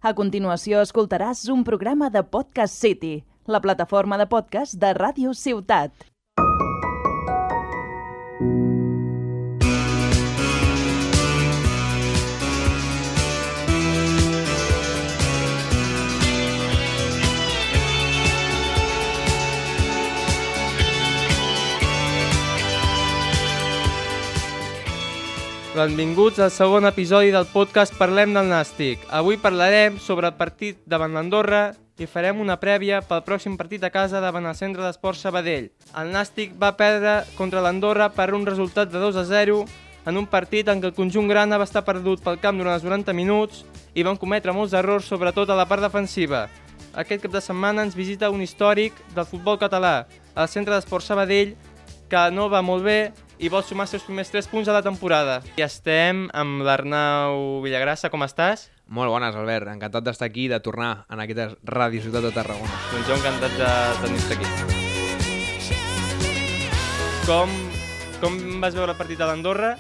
A continuació escoltaràs un programa de Podcast City, la plataforma de podcast de Ràdio Ciutat. Benvinguts al segon episodi del podcast Parlem del Nàstic. Avui parlarem sobre el partit davant l'Andorra i farem una prèvia pel pròxim partit a casa davant el Centre d'Esports Sabadell. El Nàstic va perdre contra l'Andorra per un resultat de 2-0 en un partit en què el conjunt grana va estar perdut pel camp durant els 90 minuts i van cometre molts errors, sobretot a la part defensiva. Aquest cap de setmana ens visita un històric del futbol català, el Centre d'Esports Sabadell, que no va molt bé i vol sumar els seus primers 3 punts a la temporada. I estem amb l'Arnau Villagrassa, com estàs? Molt bones, Albert. Encantat d'estar aquí i de tornar en aquesta Ràdio Ciutat de Tarragona. Doncs jo encantat de tenir-te aquí. Com vas veure el partit a l'Andorra?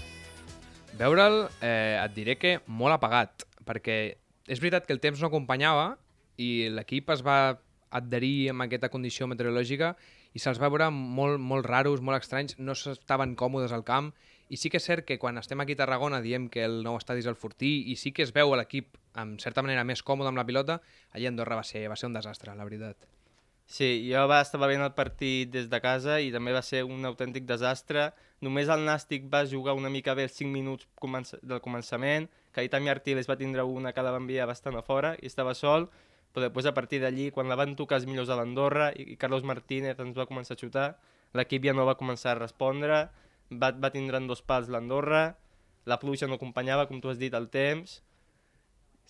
Veure'l, et diré que molt apagat, perquè és veritat que el temps no acompanyava i l'equip es va adherir amb aquesta condició meteorològica i se'ls va veure molt raros, molt estranys, no estaven còmodes al camp, i sí que és cert que quan estem aquí a Tarragona diem que el nou estadi és el Fortí i sí que es veu l'equip en certa manera més còmode amb la pilota, allà a Andorra va ser un desastre, la veritat. Sí, jo estava veient el partit des de casa i també va ser un autèntic desastre. Només el Nàstic va jugar una mica bé els 5 minuts del començament, que Itami Artiles va tindre una que la va enviar bastant a fora i estava sol, però després a partir d'allí, quan la van tocar els millors a l'Andorra i Carlos Martínez ens va començar a xutar, l'equip ja no va començar a respondre, va tindre en 2 pals l'Andorra, la pluja no acompanyava, com tu has dit, el temps,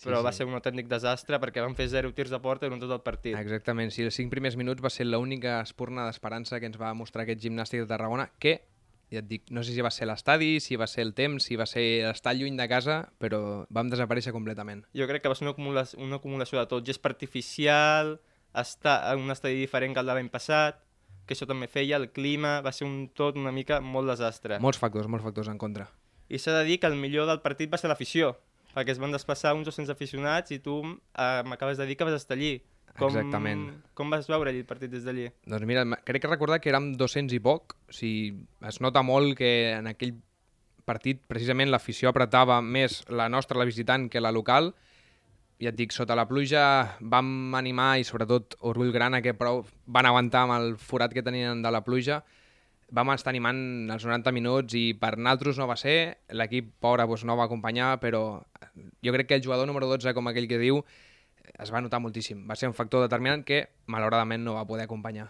però va ser un autèntic desastre perquè van fer 0 tirs de porta durant tot el partit. Exactament, sí, els 5 primers minuts va ser l'única espurna d'esperança que ens va mostrar aquest Gimnàstic de Tarragona, que, ja et dic, no sé si va ser l'estadi, si va ser el temps, si va ser estar lluny de casa, però vam desaparèixer completament. Jo crec que va ser una acumulació de tot, gest artificial, estar en un estadi diferent que el de l'any passat, que això també feia, el clima, va ser tot una mica molt desastre. Molts factors en contra. I s'ha de dir que el millor del partit va ser l'afició, perquè es van desplaçar uns 200 aficionats i tu m'acabes de dir que vas estar allí. Exactament. Com vas veure allí el partit des d'allí? Doncs mira, crec que recordar que érem 200 i poc, o sigui, es nota molt que en aquell partit precisament l'afició apretava més la nostra, la visitant, que la local. Ja et dic, sota la pluja vam animar i sobretot Orgull Grana, que prou van aguantar amb el forat que tenien de la pluja, vam estar animant els 90 minuts i per naltros no va ser, l'equip pobre doncs, no va acompanyar, però jo crec que el jugador número 12, com aquell que diu, es va notar moltíssim. Va ser un factor determinant que, malauradament, no va poder acompanyar.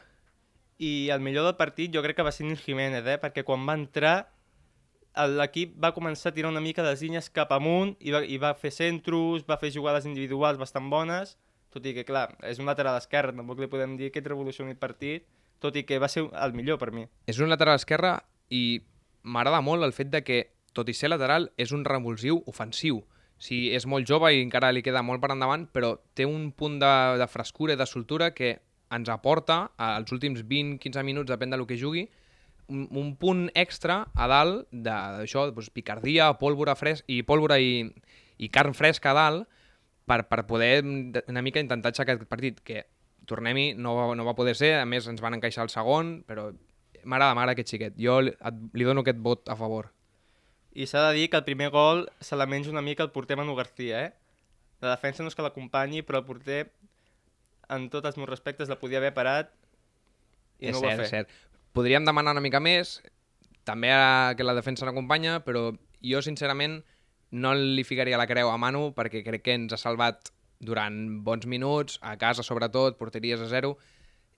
I el millor del partit jo crec que va ser Nil Jiménez, perquè quan va entrar l'equip va començar a tirar una mica les línies cap amunt i va fer centros, va fer jugades individuals bastant bones, tot i que, clar, és un lateral esquerre, tampoc li podem dir que et revolucioni el partit, tot i que va ser el millor per mi. És un lateral esquerre i m'agrada molt el fet de que, tot i ser lateral, és un revulsiu ofensiu. Sí, és molt jove i encara li queda molt per endavant, però té un punt de frescura i de soltura que ens aporta, als últims 20-15 minuts, depèn del que jugui, un punt extra a dalt d'això, doncs, picardia, pólvora i carn fresca a dalt per poder una mica intentar aixecar aquest partit, que, tornem-hi, no va poder ser, a més ens van encaixar el segon, però m'agrada aquest xiquet. Jo li dono aquest vot a favor. I s'ha de dir que el primer gol se la menja una mica el porter Manu García, La defensa no és que l'acompanyi, però el porter, en tots els meus respectes, la podia haver parat i no ho va fer. És cert. Podríem demanar una mica més, també que la defensa l'acompanya, però jo, sincerament, no li ficaria la creu a Manu perquè crec que ens ha salvat durant bons minuts, a casa sobretot, porteries a 0,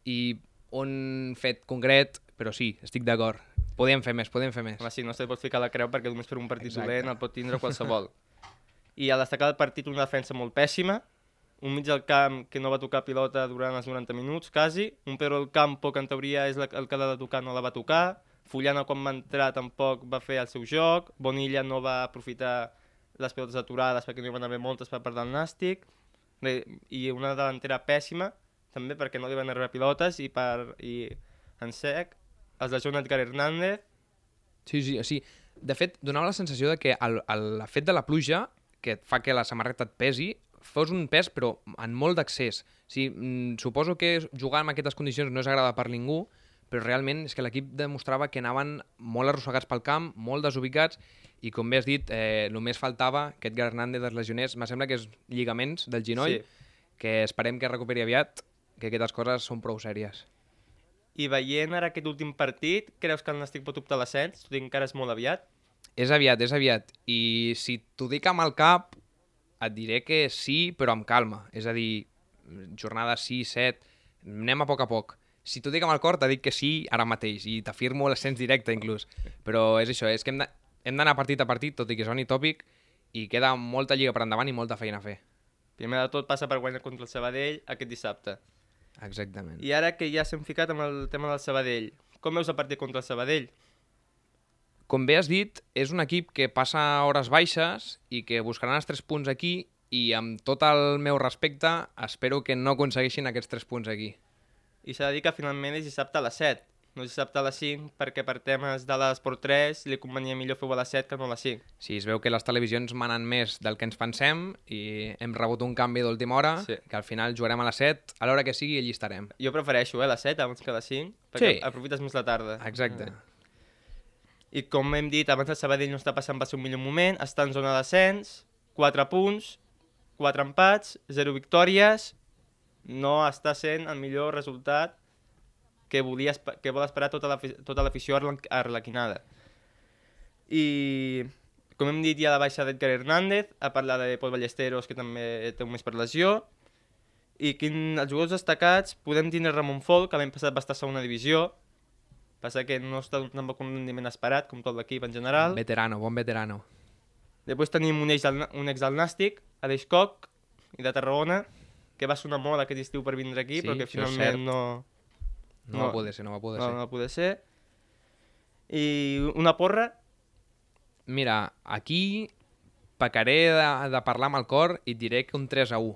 i un fet concret, però sí, estic d'acord. Podem fer més. Home, sí, no se pot ficar la creu perquè només per un partit dolent el pot tindre qualsevol. I al destacar del partit una defensa molt pèssima, un mig del camp que no va tocar pilota durant els 90 minuts, quasi, un Pedro del Campo que en teoria és el que l'ha de tocar, no la va tocar, Fullana quan va entrar tampoc va fer el seu joc, Bonilla no va aprofitar les pilotes aturades perquè no hi van haver moltes per part del Nàstic, i una delantera pèssima, també perquè no li van arribar pilotes i en sec, els de Joan Edgar Hernández. Sí. De fet, donava la sensació de que el fet de la pluja, que fa que la samarreta et pesi, fos un pes, però en molt d'accés. Sí, suposo que jugar en aquestes condicions no és agradable per ningú, però realment és que l'equip demostrava que anaven molt arrossegats pel camp, molt desubicats, i com bé has dit, només faltava que Edgar Hernández es lesionés, me sembla que és lligaments del genoll, que esperem que recuperi aviat, que aquestes coses són prou sèries. I veient ara aquest últim partit, creus que el Nàstic pot optar a l'ascens? Tot i que encara és molt aviat. És aviat. I si t'ho dic amb el cap, et diré que sí, però amb calma. És a dir, jornada 6, 7, anem a poc. Si t'ho dic amb el cor, t'he dit que sí ara mateix, i t'afirmo l'ascens directe inclús. Però és això, és que hem d'anar partit a partit, tot i que soni tòpic, i queda molta lliga per endavant i molta feina a fer. Primer de tot passa per guanyar contra el Sabadell aquest dissabte. Exactament. I ara que ja s'hem ficat amb el tema del Sabadell, com veus el partit contra el Sabadell? Com bé has dit, és un equip que passa hores baixes i que buscaran els 3 punts aquí, i amb tot el meu respecte espero que no aconsegueixin aquests 3 punts aquí. I s'ha de dir que finalment és dissabte a les 7, no és dissabte a les 5, perquè per temes de l'Esport 3 li convenia millor fer-ho a les 7 que no a les 5. Sí, es veu que les televisions manen més del que ens pensem i hem rebut un canvi d'última hora, que al final jugarem a les 7, a l'hora que sigui allí estarem. Jo prefereixo les 7 abans que a les 5, perquè aprofites més la tarda. Exacte. I com hem dit, abans el Sabadell no està passant pel seu millor moment, està en zona d'ascens, 4 punts, 4 empats, 0 victòries, no està sent el millor resultat que vol esperar tota l'afició arlequinada. I com hem dit, hi ha la baixa d'Edgar Hernández, a parlar de Pol Ballesteros, que també té un mes per lesió, i els jugadors destacats podem tindre Ramon Folk, que l'any passat va estar a segona divisió, passa que no està tampoc un rendiment esperat, com tot l'equip en general. Veterano, bon veterano. Després tenim un ex del Nàstic, Aleix Koch, i de Tarragona, que va sonar molt aquest estiu per vindre aquí, però que finalment no va poder ser. No va poder ser. I una porra? Mira, aquí pecaré de parlar amb el cor i et diré que un 3-1.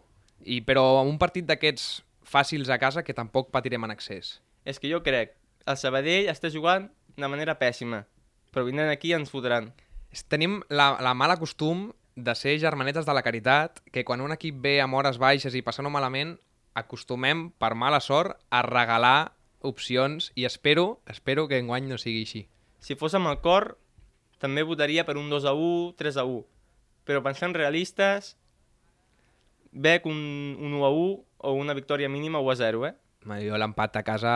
Però un partit d'aquests fàcils a casa que tampoc patirem en excés. És que jo crec, el Sabadell està jugant de manera pèssima, però vindran aquí ens fotran. Tenim la mala costum de ser germanetes de la caritat, que quan un equip ve amb hores baixes i passant-ho malament, acostumem, per mala sort, a regalar opcions, i espero que enguany no sigui així. Si fos amb el cor, també votaria per un 2-1, 3-1, però pensant realistes, veig un 1-1 o una victòria mínima 1-0, Jo l'empat a casa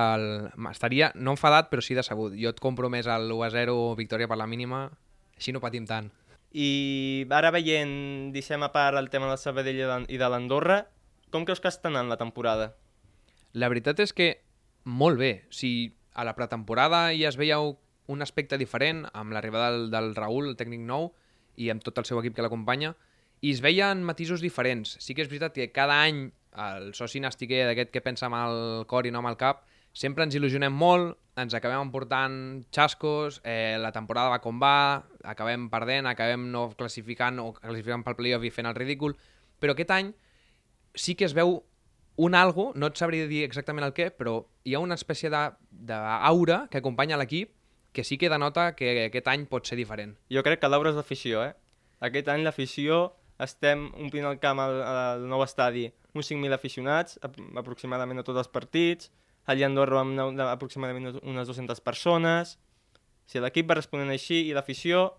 estaria, no enfadat, però sí decebut. Jo et compro més el 1-0 victòria per la mínima, així no patim tant. I ara veient, deixem a part el tema del Sabadell i de l'Andorra, com creus que està anant la temporada? La veritat és que molt bé. Si a la pretemporada ja es veia un aspecte diferent amb l'arribada del Raül, el tècnic nou, i amb tot el seu equip que l'acompanya, i es veien matisos diferents. Sí que és veritat que cada any el soci nastiquer d'aquest que pensa amb el cor i no amb el cap, sempre ens il·lusionem molt, ens acabem emportant xascos, la temporada va com va, acabem perdent, acabem no classificant o classificant pel playoff i fent el ridícul, però aquest any sí que es veu un algo, no et sabria dir exactament el què, però hi ha una espècie d'aura que acompanya l'equip que sí que denota que aquest any pot ser diferent. Jo crec que l'aura és l'afició, Aquest any l'afició estem omplint el camp al nou estadi uns 5.000 aficionats, aproximadament a tots els partits. Allà a Andorra vam anar aproximadament unes 200 persones. Si l'equip va responent així i l'afició,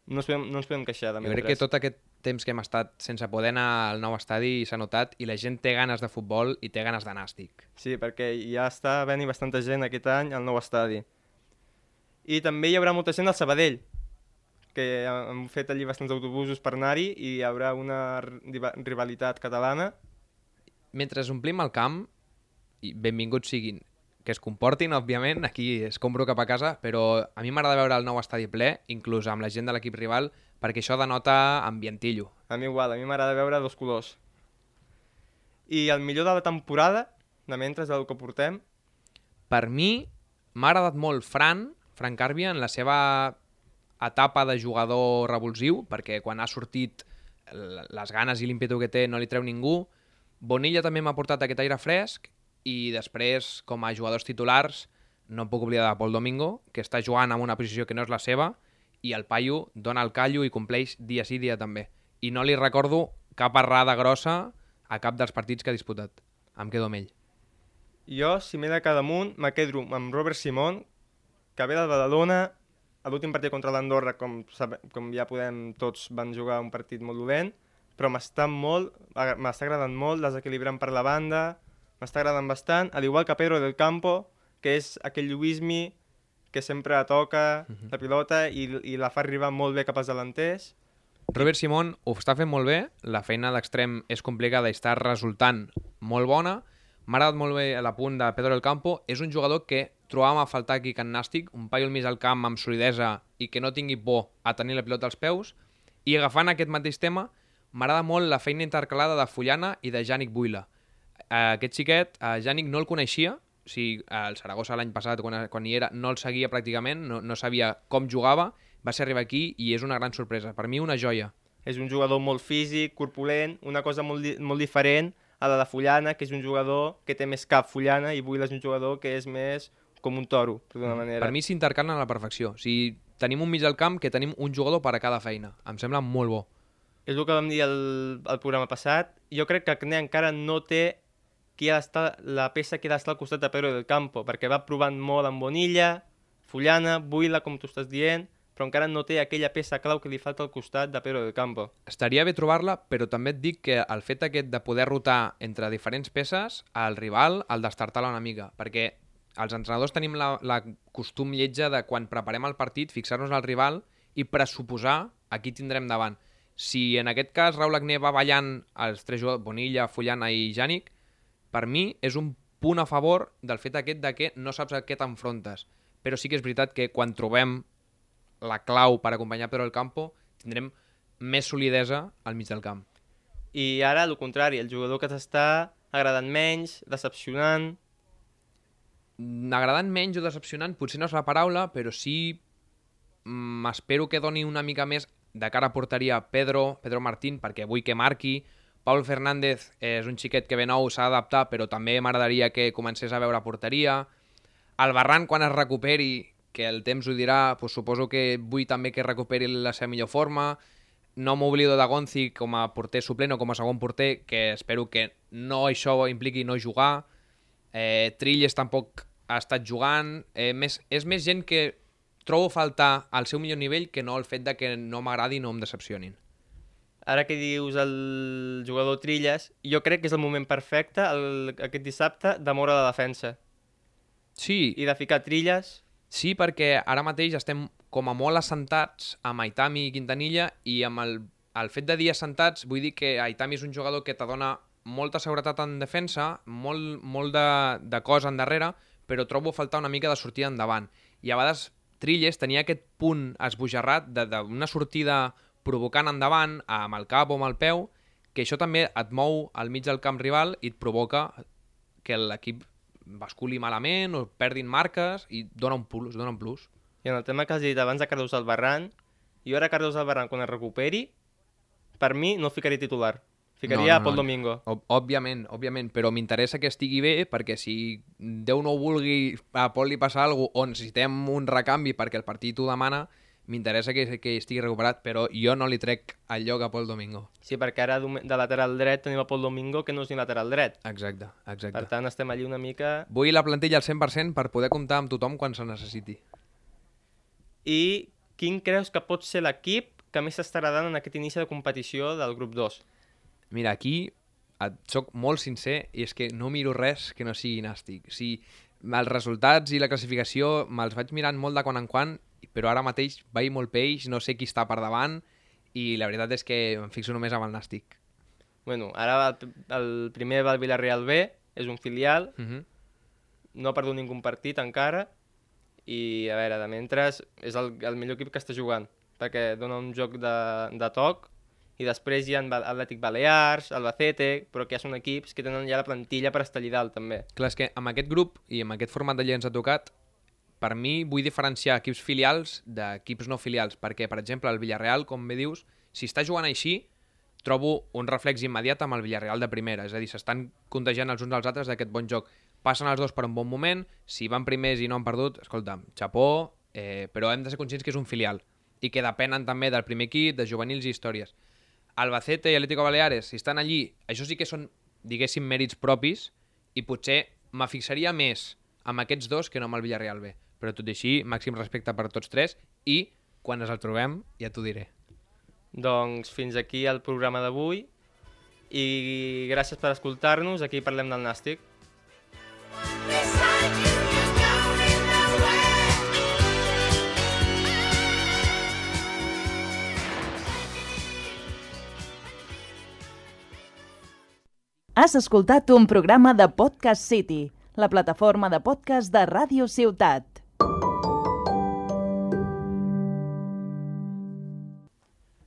no ens podem queixar. Jo crec que tot aquest temps que hem estat sense poder anar al nou estadi s'ha notat i la gent té ganes de futbol i té ganes de nàstic. Sí, perquè ja està venint bastanta gent aquest any al nou estadi. I també hi haurà molta gent al Sabadell, que han fet allí bastants autobusos per anar-hi i hi haurà una rivalitat catalana. Mentre omplim el camp, i benvinguts siguin, que es comportin, òbviament, aquí es compro cap a casa, però a mi m'agrada veure el nou estadi ple, inclús amb la gent de l'equip rival, perquè això denota ambientillo. A mi igual, a mi m'agrada veure dos colors. I el millor de la temporada, de mentre del que portem? Per mi m'ha agradat molt Fran Càrbia en la seva etapa de jugador revulsiu, perquè quan ha sortit les ganes i l'ímpetu que té no li treu ningú. Bonilla també m'ha portat aquest aire fresc, i després, com a jugadors titulars, no em puc oblidar de Pol Domingo, que està jugant en una posició que no és la seva, i el paio dona el callo i compleix dia sí dia també. I no li recordo cap errada grossa a cap dels partits que ha disputat. Em quedo amb ell. Jo, si m'he de quedar damunt, me quedo amb Robert Simón, que ve del Badalona. A l'últim partit contra l'Andorra, com ja podem, tots van jugar un partit molt dolent, però m'està agradant molt, desequilibrant per la banda, m'està agradant bastant, al igual que Pedro del Campo, que és aquell Lluïsmi que sempre toca la pilota i la fa arribar molt bé cap als delanters. Robert Simón ho està fent molt bé, la feina d'extrem és complicada i està resultant molt bona. M'ha agradat molt bé l'apunt de Pedro del Campo. És un jugador que trobàvem a faltar aquí a Can Nàstic, un paio al mig del camp amb solidesa i que no tingui por a tenir la pilota als peus. I agafant aquest mateix tema, m'agrada molt la feina intercalada de Fullana i de Yannick Buila. Aquest xiquet, Yannick no el coneixia, o sigui, el Saragossa l'any passat, quan hi era, no el seguia pràcticament, no sabia com jugava, va ser arribar aquí i és una gran sorpresa. Per mi, una joia. És un jugador molt físic, corpulent, una cosa molt diferent a la de Fullana, que és un jugador que té més cap Fullana, i Buila és un jugador que és més com un toro, d'una manera. Per mi s'intercalen a la perfecció. O sigui, tenim un mig del camp que tenim un jugador per a cada feina. Em sembla molt bo. És el que vam dir al programa passat. Jo crec que Acné encara no té la peça que ha d'estar al costat de Pedro del Campo, perquè va provant molt amb Bonilla, Fullana, Buila, com tu estàs dient, però encara no té aquella peça clau que li falta al costat de Pedro del Campo. Estaria bé trobar-la, però també et dic que el fet aquest de poder rotar entre diferents peces, el rival el destartar-la una mica, perquè els entrenadors tenim la costum lletja de quan preparem el partit fixar-nos al rival i pressuposar a qui tindrem davant. Si en aquest cas Raúl Agné va ballant els tres jugadors, Bonilla, Fullana i Yannick, per mi és un punt a favor del fet aquest de que no saps a què t'enfrontes. Però sí que és veritat que quan trobem la clau per acompanyar Pedro del Campo tindrem més solidesa al mig del camp. I ara, al contrari, el jugador que t'està agradant menys, decepcionant... Agradant menys o decepcionant potser no és la paraula, però sí espero que doni una mica més de cara a porteria Pedro Martín, perquè vull que marqui. Pau Fernández és un xiquet que ve nou, s'ha d'adaptar, però també m'agradaria que comencés a veure porteria. El Barran, quan es recuperi, que el temps ho dirà, doncs suposo que vull també que recuperi la seva millor forma. No m'oblido de Gonzi com a porter suplent o com a segon porter, que espero que no això impliqui no jugar. Trilles tampoc ha estat jugant. És més gent que trobo faltar al seu millor nivell que no el fet de que no m'agradi i no em decepcionin. Ara que dius el jugador Trilles, jo crec que és el moment perfecte, aquest dissabte, de moure la defensa. Sí. I de ficar Trilles. Sí, perquè ara mateix estem com a molt assentats amb Aitami i Quintanilla, i amb el fet de dir assentats vull dir que Aitami és un jugador que te dona molta seguretat en defensa, molt de cos endarrere, però trobo faltar una mica de sortida endavant. I a vegades Trilles tenia aquest punt esbojarrat d'una sortida provocant endavant amb el cap o amb el peu, que això també et mou al mig del camp rival i et provoca que l'equip basculi malament o perdin marques i dona un plus. I en el tema que has dit abans de Carlos Albarrán, jo ara Carlos Albarrán quan es recuperi, per mi no el ficaria titular. Ficaria a Pol Domingo. Òbviament, però m'interessa que estigui bé, perquè si Déu no ho vulgui, a Pol li passa alguna cosa, o necessitem un recanvi perquè el partit ho demana, m'interessa que estigui recuperat, però jo no li trec el lloc a Pol Domingo. Sí, perquè ara de lateral dret tenim a Pol Domingo, que no és ni lateral dret. Exacte. Per tant, estem allí una mica... Vull la plantilla al 100% per poder comptar amb tothom quan se necessiti. I quin creus que pot ser l'equip que més s'estarà dant en aquest inici de competició del grup 2? Mira, aquí et soc molt sincer i és que no miro res que no sigui nàstic. O sigui, els resultats i la classificació me'ls vaig mirant molt de quan en quan, però ara mateix vaig molt peix, no sé qui està per davant i la veritat és que em fixo només amb el nàstic. Bueno, ara el primer va al Villarreal B, és un filial, no ha perdut ningú partit encara i a veure, de mentre és el millor equip que està jugant perquè dona un joc de toc. I després hi ha Atlètic Balears, Albacete, però que ja són equips que tenen ja la plantilla per estar allà dalt, també. Clar, és que amb aquest grup i amb aquest format de Lliga ens ha tocat, per mi vull diferenciar equips filials d'equips no filials, perquè, per exemple, el Villarreal, com bé dius, si està jugant així, trobo un reflex immediat amb el Villarreal de primera, és a dir, s'estan contagiant els uns als altres d'aquest bon joc. Passen els dos per un bon moment, si van primers i no han perdut, escolta'm, xapó, però hem de ser conscients que és un filial i que depenen també del primer equip, de juvenils i històries. Albacete i Atlético Baleares, si estan allí, això sí que són, diguéssim, mèrits propis, i potser me fixaria més amb aquests dos que no amb el Villarreal B. Però tot i així, màxim respecte per tots tres, i quan ens el trobem ja t'ho diré. Doncs fins aquí el programa d'avui i gràcies per escoltar-nos. Aquí parlem del Nàstic. Has escoltat un programa de Podcast City, la plataforma de podcast de Ràdio Ciutat.